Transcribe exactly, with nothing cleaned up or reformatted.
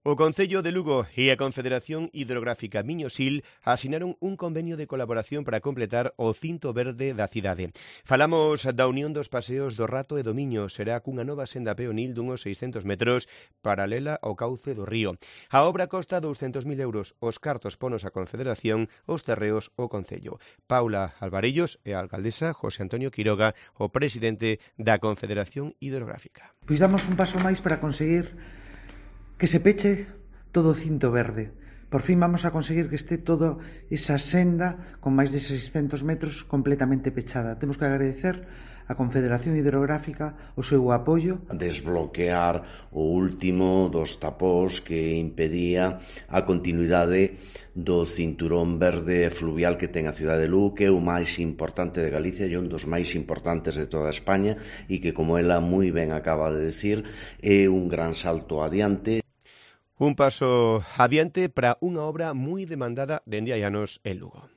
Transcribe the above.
O Concello de Lugo e a Confederación Hidrográfica Miño-Sil asinaron un convenio de colaboración para completar o cinto verde da cidade. Falamos da unión dos paseos do Rato e do Miño, será cunha nova senda peonil dunhos seiscentos metros paralela ao cauce do río. A obra costa douscentos mil euros, os cartos ponos a Confederación, os terreos o Concello. Paula Alvarellos e a alcaldesa José Antonio Quiroga, o presidente da Confederación Hidrográfica. Pois damos un paso máis para conseguir que se peche todo o cinto verde. Por fin vamos a conseguir que este toda esa senda con máis de seiscentos metros completamente pechada. Temos que agradecer a Confederación Hidrográfica o seu apoio. Desbloquear o último dos tapós que impedía a continuidade do cinturón verde fluvial que ten a cidade de Lugo, que é o máis importante de Galicia e un dos máis importantes de toda España e que, como ela moi ben acaba de decir, é un gran salto adiante. Un paso adiante para unha obra moi demandada dende hai anos en Lugo.